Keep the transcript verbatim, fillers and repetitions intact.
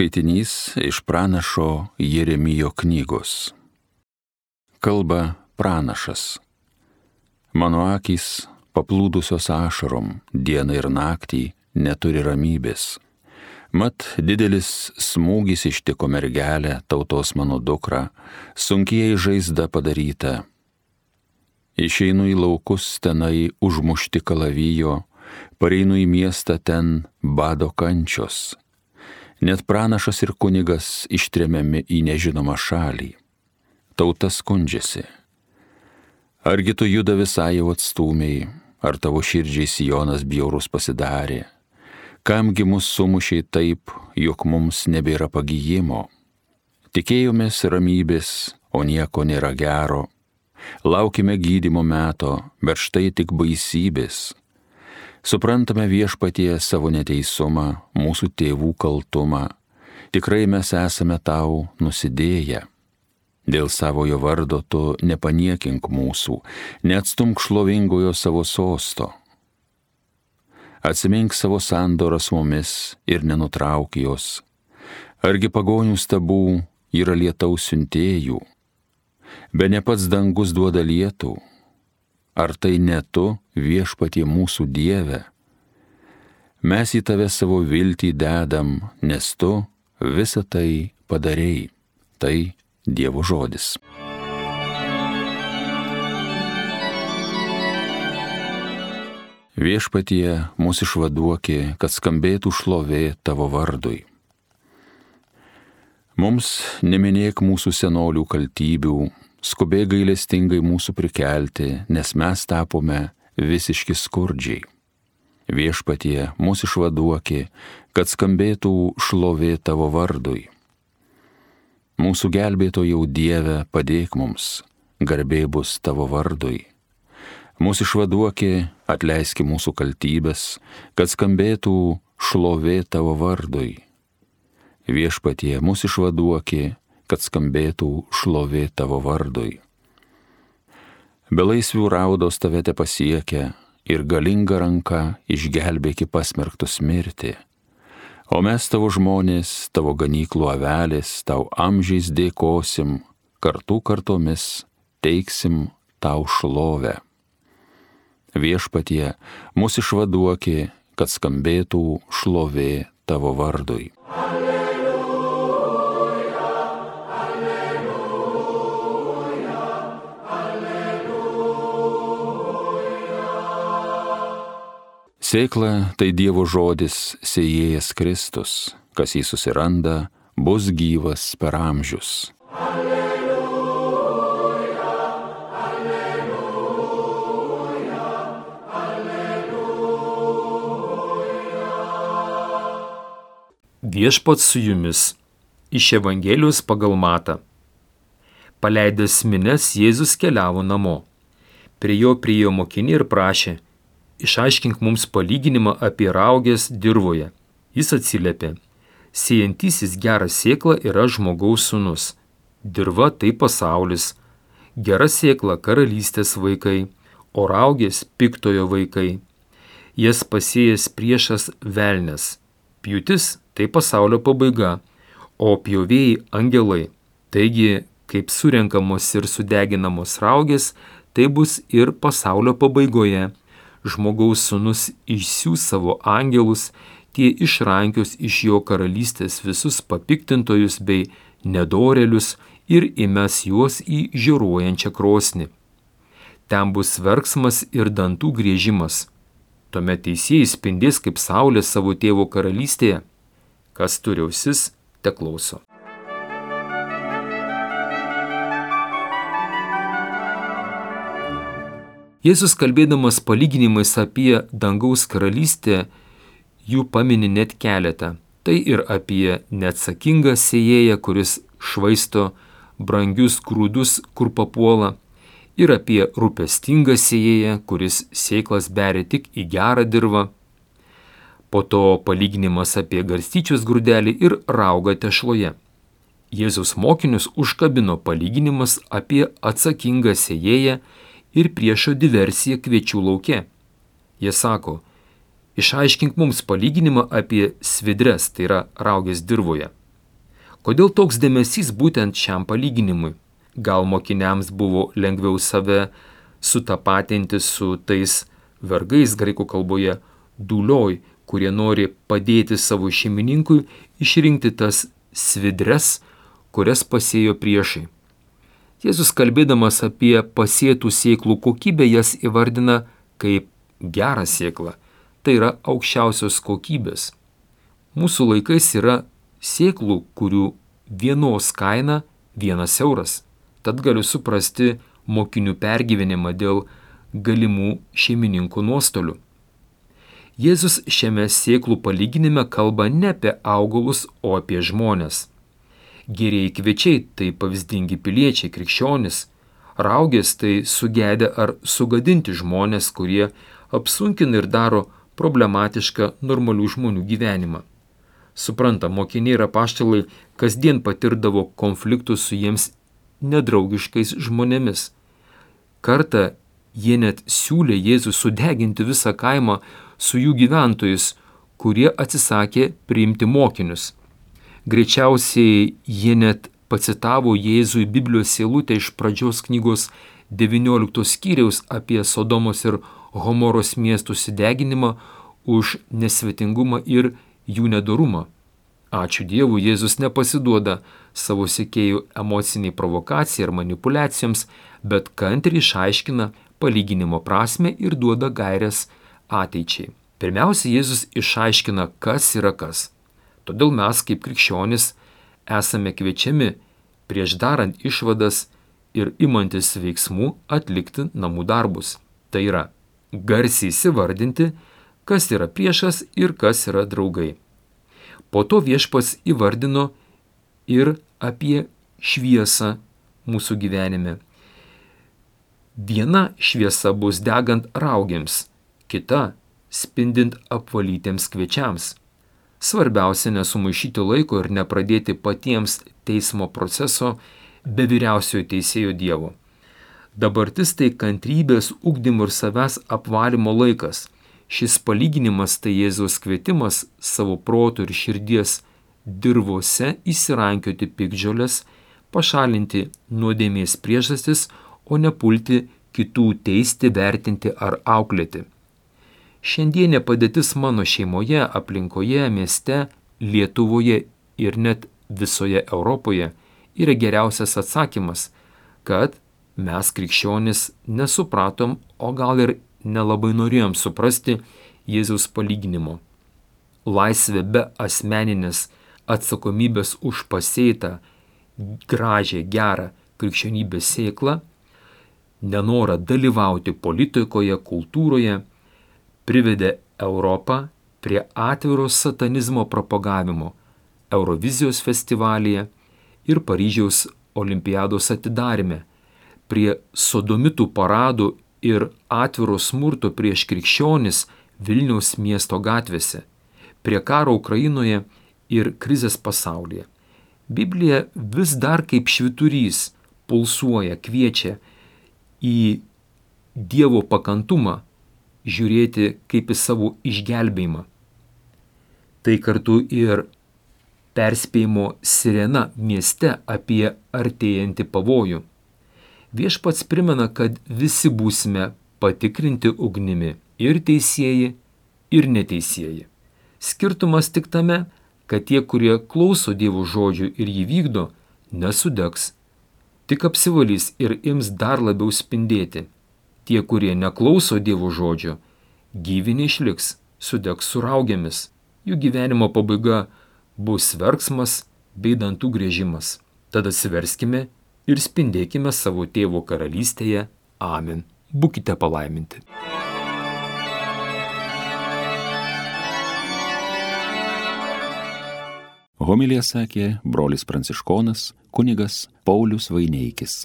Skaitinys iš pranašo Jeremijo knygos. Kalba pranašas. Mano akys paplūdusios ašarom, dieną ir naktį neturi ramybės. Mat didelis smūgis ištiko mergelę, tautos mano dukrą, sunkiai žaizda padaryta. Išeinu į laukus tenai užmušti kalavijo, pareinu į miestą ten bado kančios. Net pranašas ir kunigas ištremiami į nežinomą šalį. Tauta skundžiasi. Argi tu Judą visai jau atstūmei, ar tavo širdžiai Sionas bjaurus pasidarė? Kamgi mus sumušiai taip, jog mums nebėra pagijimo? Tikėjomės ramybės, o nieko nėra gero. Laukime gydymo meto, bet štai tik baisybės. Suprantame Viešpatie savo neteisumą, mūsų tėvų kaltumą. Tikrai mes esame tau nusidėję. Dėl savojo vardo tu nepaniekink mūsų, neatstumk šlovingojo savo sosto. Atsimink savo sandorą su mumis ir nenutrauk jos. Argi pagonių stabų yra lietaus siuntėjų? Be ne pats dangus duoda lietų. Ar tai ne tu, Viešpatie mūsų Dieve? Mes į tave savo viltį dedam, nes tu visą tai padarei. Tai Dievo žodis. Viešpatie mūsų išvaduoki, kad skambėtų šlovė tavo vardui. Mums neminėk mūsų senolių kaltybių, skubėk gailestingai mūsų prikelti, nes mes tapome visiški skurdžiai. Viešpatie mūsų išvaduoki, kad skambėtų šlovė tavo vardui. Mūsų gelbėtojau Dieve, padėk mums, garbė bus tavo vardui. Mūsų išvaduoki, atleiski mūsų kaltybės, kad skambėtų šlovė tavo vardui. Viešpatie mūsų išvaduoki, kad skambėtų šlovė tavo vardui. Belaisvių raudos tave te pasiekia ir galinga ranka išgelbėki pasmerktus mirti. O mes tavo žmonės, tavo ganyklų avelės, tau amžiais dėkosim, kartų kartomis teiksim tau šlovę. Viešpatie mūsų išvaduoki, kad skambėtų šlovė tavo vardui. Sėkla tai Dievo žodis, sėjėjas Kristus, kas jį susiranda, bus gyvas per amžius. Alleluja, alleluja, alleluja. Viešpats su jumis. Iš Evangelijos pagal Matą. Paleidęs minias, Jėzus keliavo namo. Prie jo priėjo mokiniai ir prašė: išaiškink mums palyginimą apie rauges dirvoje. Jis atsiliepė: sėjantysis gerą sėklą yra žmogaus sūnus. Dirva tai pasaulis. Gera sėkla karalystės vaikai, o raugės piktojo vaikai. Jas pasėjęs priešas velnias. Pjūtis tai pasaulio pabaiga, o pjovėjai angelai. Taigi, kaip surenkamos ir sudeginamos raugės, tai bus ir pasaulio pabaigoje. Žmogaus sūnus išsiųs savo angelus, tie išrankios iš jo karalystės visus papiktintojus bei nedorėlius ir įmes juos į žiūruojančią krosnį. Ten bus verksmas ir dantų griežimas. Tuomet teisieji spindės kaip saulė savo tėvo karalystėje. Kas turi ausis, teklauso. Jėzus, kalbėdamas palyginimais apie dangaus karalystę, jų pamini net keletą. Tai ir apie neatsakingą sėjėją, kuris švaisto brangius grūdus, kur papuola, ir apie rūpestingą sėjėją, kuris sėklas beria tik į gerą dirvą. Po to palyginimas apie garstyčios grūdelį ir raugą tešloje. Jėzaus mokinius užkabino palyginimas apie atsakingą sėjėją ir priešo diversiją kviečių lauke. Jie sako: išaiškink mums palyginimą apie svidres, tai yra raugės dirvoje. Kodėl toks dėmesys būtent šiam palyginimui? Gal mokiniams buvo lengviau save sutapatinti su tais vergais graikų kalboje dulioj, kurie nori padėti savo šeimininkui išrinkti tas svidres, kurias pasėjo priešai. Jėzus kalbėdamas apie pasėtų sėklų kokybę jas įvardina kaip gerą sėklą. Tai yra aukščiausios kokybės. Mūsų laikais yra sėklų, kurių vienos kaina vienas euras. Tad galiu suprasti mokinių pergyvenimą dėl galimų šeimininkų nuostolių. Jėzus šiame sėklų palyginime kalba ne apie augalus, o apie žmones. Gerieji kviečiai tai pavyzdingi piliečiai, krikščionys. Raugės tai sugedę ar sugadinti žmonės, kurie apsunkina ir daro problematišką normalių žmonių gyvenimą. Supranta, mokiniai ir apaštalai kasdien patirdavo konfliktus su jiems nedraugiškais žmonėmis. Kartą jie net siūlė Jėzų sudeginti visą kaimą su jų gyventojais, kurie atsisakė priimti mokinius. Greičiausiai jie net pacitavo Jėzui Biblijos eilutę iš pradžios knygos devynioliktos skyriaus apie Sodomos ir Gomoros miestų sudeginimą už nesvetingumą ir jų nedorumą. Ačiū Dievui, Jėzus nepasiduoda savo sekėjų emociniai provokacijai ar manipulacijoms, bet kantriai išaiškina palyginimo prasmę ir duoda gaires ateičiai. Pirmiausia, Jėzus išaiškina, kas yra kas. Todėl mes, kaip krikščionys, esame kviečiami prieš darant išvadas ir imantis veiksmų atlikti namų darbus. Tai yra garsiai įsivardinti, kas yra priešas ir kas yra draugai. Po to Viešpats įvardino ir apie šviesą mūsų gyvenime. Viena šviesa bus degant raugėms, kita spindint apvalytiems kviečiams. Svarbiausia nesumaišyti laiko ir nepradėti patiems teismo proceso be vyriausiojo teisėjo Dievo. Dabartis tai kantrybės, ugdymo ir savęs apvalymo laikas. Šis palyginimas tai Jėzaus kvietimas savo proto ir širdies dirvose įsirankioti piktžoles, pašalinti nuodėmės priežastis, o nepulti kitų teisti, vertinti ar auklėti. Šiandienė padėtis mano šeimoje, aplinkoje, mieste, Lietuvoje ir net visoje Europoje yra geriausias atsakymas, kad mes krikščionys nesupratom, o gal ir nelabai norėjom suprasti Jėzaus palyginimo. Laisvė be asmeninės atsakomybės už pasėtą gražią, gerą krikščionybės sėklą, nenorą dalyvauti politikoje, kultūroje, privedė Europą prie atviro satanizmo propagavimo Eurovizijos festivalyje ir Paryžiaus olimpiados atidarime, prie sodomitų paradų ir atviro smurto prieš krikščionis Vilniaus miesto gatvėse, prie karo Ukrainoje ir krizės pasaulyje. Biblija vis dar kaip švyturys pulsuoja, kviečia į Dievo pakantumą žiūrėti kaip į savo išgelbėjimą. Tai kartu ir perspėjimo sirena mieste apie artėjantį pavojų. Viešpats primena, kad visi būsime patikrinti ugnimi, ir teisieji, ir neteisieji. Skirtumas tik tame, kad tie, kurie klauso Dievo žodžių ir jį vykdo, nesudegs, tik apsivalys ir ims dar labiau spindėti. Tie, kurie neklauso Dievo žodžio, gyvi neišliks, sudegs su raugėmis. Jų gyvenimo pabaiga bus verksmas bei dantų griežimas. Tada atsiverskime ir spindėkime savo Tėvo karalystėje. Amen. Būkite palaiminti. Homiliją sakė brolis pranciškonas kunigas Paulius Vaineikis.